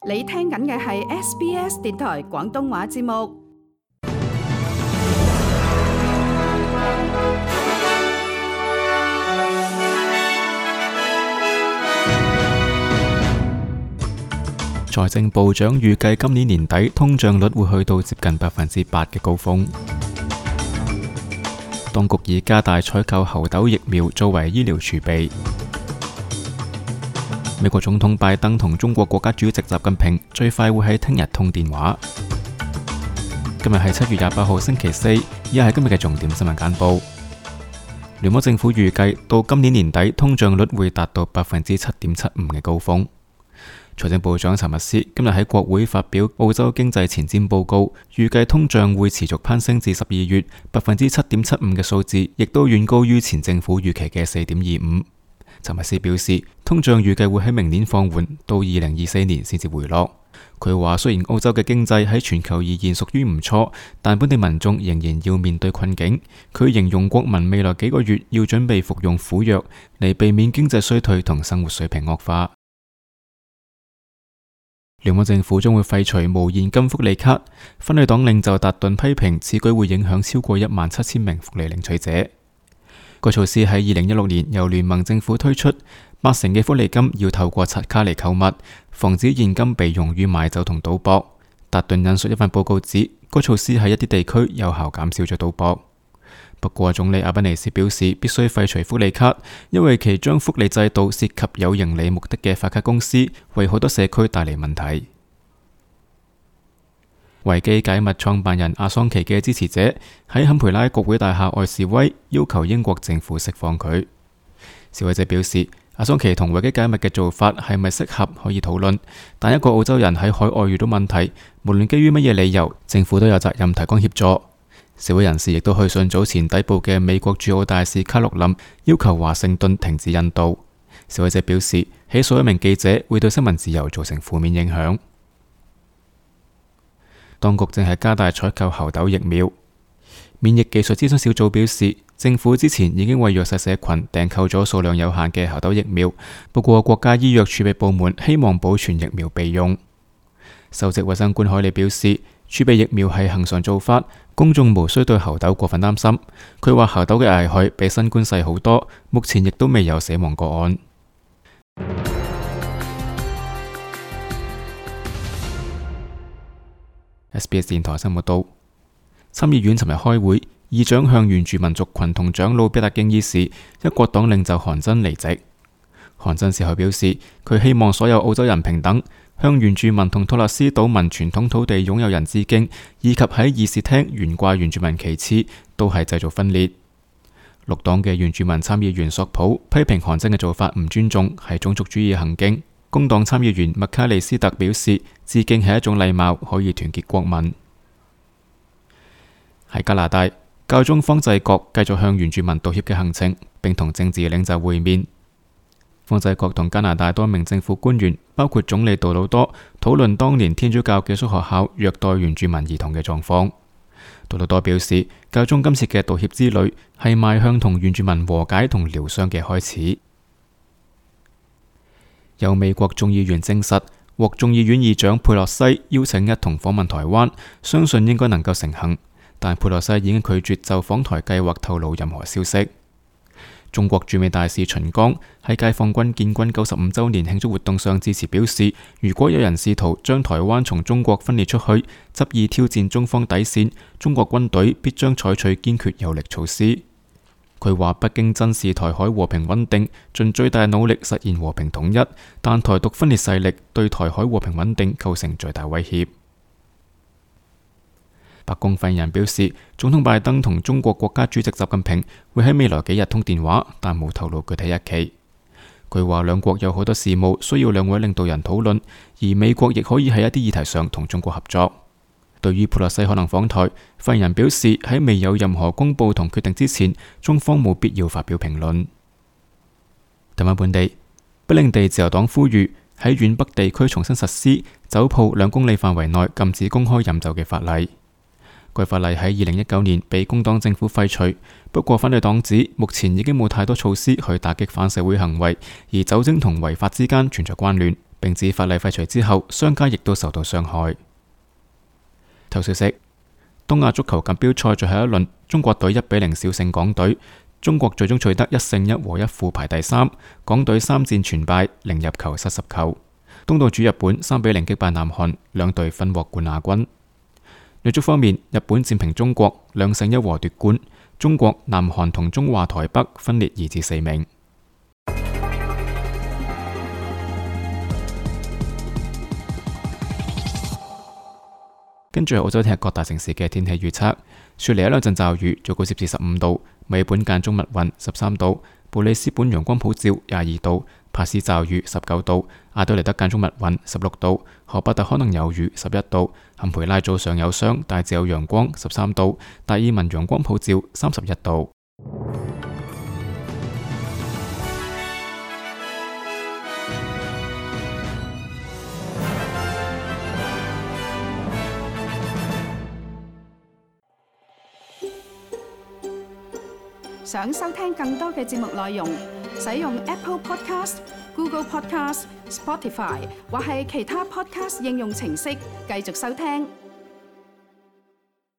你聽緊嘅係 SBS 電台廣東話節目。財政部長預計今年年底通脹率會去到接近8%嘅高峰。當局已加大採購猴痘疫苗作為醫療儲備。美國總統拜登同中國國家主席習近平最快會喺聽日通電話。今日係7月28號星期四，以下係今日嘅重點新聞簡報。聯邦政府預計到今年年底通脹率會達到7.75%嘅高峰。財政部長查密斯今日喺國會發表澳洲經濟前瞻報告，預計通脹會持續攀升至12月7.75%嘅數字，亦都遠高於前政府預期嘅4.25%。查密斯表示，通脹預計會喺明年放緩，到2024年先至回落。佢話雖然澳洲嘅經濟喺全球而言屬於唔錯，但本地民眾仍然要面對困境。佢形容國民未來幾個月要準備服用苦藥，嚟避免經濟衰退同生活水平惡化。聯邦政府將會廢除無現金福利卡，分類黨領袖達頓批評此舉會影響超過17000名福利領取者。該措施喺2016年由聯盟政府推出，80%嘅福利金要透過刷卡嚟購物，防止現金被用於買酒同賭博。達頓引述一份報告指，該措施喺一啲地區有效減少咗賭博。不過總理阿賓尼斯表示必須廢除福利卡，因為其將福利制度涉及有盈利目的嘅發卡公司，為好多社區帶嚟問題。維基解密創辦人阿桑奇嘅支持者喺坎培拉國會大廈外示威，要求英國政府釋放佢。示威者表示，阿桑奇同維基解密嘅做法係咪適合可以討論，但一個澳洲人喺海外遇到問題，無論基於乜嘢理由，政府都有責任提供協助。示威人士亦都去信早前逮捕嘅美國駐澳大使卡洛琳，要求華盛頓停止引渡。示威者表示，起訴一名記者會對新聞自由造成負面影響。當局正係加大採購猴痘疫苗。免疫技術諮詢小組表示，政府之前已經為弱勢社群訂購咗數量有限嘅猴痘疫苗，不過國家醫藥儲備部門希望保存疫苗備用。首席衛生官海利表示，儲備疫苗係恆常做法，公眾無需對猴痘過分擔心。佢話猴痘嘅危害比新冠細好多，目前亦都未有死亡個案。SBS 電台新聞報道，參議院尋日開會，議長向原住民族群同長老表達敬意時，一國黨領袖韓真離席。韓真事後表示，佢希望所有澳洲人平等，向原住民同托勒斯島民傳統土地擁有人致敬，以及喺議事廳懸掛原住民旗幟，都係製造分裂。綠黨嘅原住民參議員索普批評韓真嘅做法唔尊重，係種族主義行徑。工黨參議員麥卡利斯特表示，致敬係一種禮貌，可以團結國民。喺加拿大，教宗方濟各繼續向原住民道歉嘅行程，並同政治領袖會面。方濟各同加拿大多名政府官員，包括總理杜魯多，討論當年天主教寄宿學校虐待原住民兒童嘅狀況。杜魯多表示，教宗今次嘅道歉之旅係邁向同原住民和解同療傷嘅開始。有美國眾議員證實，獲眾議院議長佩洛西邀請一同訪問台灣，相信應該能夠成行。但佩洛西已經拒絕就訪台計劃透露任何消息。中國駐美大使秦剛喺解放軍建軍95週年慶祝活動上致辭表示，如果有人試圖將台灣從中國分裂出去，執意挑戰中方底線，中國軍隊必將採取堅決有力措施。佢話北京珍視台海和平穩定，盡最大努力實現和平統一，但台獨分裂勢力對台海和平穩定構成最大威脅。白宮發言人表示，總統拜登同中國國家主席習近平會喺未來幾日通電話，但冇透露具體日期。佢話兩國有好多事務需要兩位領導人討論，而美國亦可以喺一啲議題上同中國合作。對於佩洛西可能訪台，發言人表示喺未有任何公佈同決定之前，中方冇必要發表評論。睇返本地，北領地自由黨呼籲喺遠北地區重新實施酒鋪2公里範圍內禁止公開飲酒嘅法例。該法例喺2019年被工黨政府廢除，不過反對黨指目前已經冇太多措施去打擊反社會行為，而酒精同違法之間存在關聯。並指法例廢除之後，商家亦都受到傷害。頭消息：東亞足球錦標賽最後一輪，中國隊1-0小勝港隊，中國最終取得1勝1和1負排第3，港隊3戰全敗，0入球失10球。東道主日本3-0擊敗南韓，兩隊分獲冠亞軍。女足方面，日本戰平中國2勝1和奪冠，中國、南韓同中華台北分列2至4名。跟住係澳洲聽日各大城市嘅天氣預測：雪梨一兩陣驟雨，最高攝氏15度；墨爾本間中密雲13度；布里斯本陽光普照22度；帕斯驟雨19度；阿德萊德間中密雲16度；荷伯特可能有雨11度；坎培拉早上有霜，大致有陽光13度；達爾文陽光普照31度。想收聽更多嘅節目內容，使用 Apple Podcast、Google Podcast、Spotify 或係其他 Podcast 應用程式繼續收聽。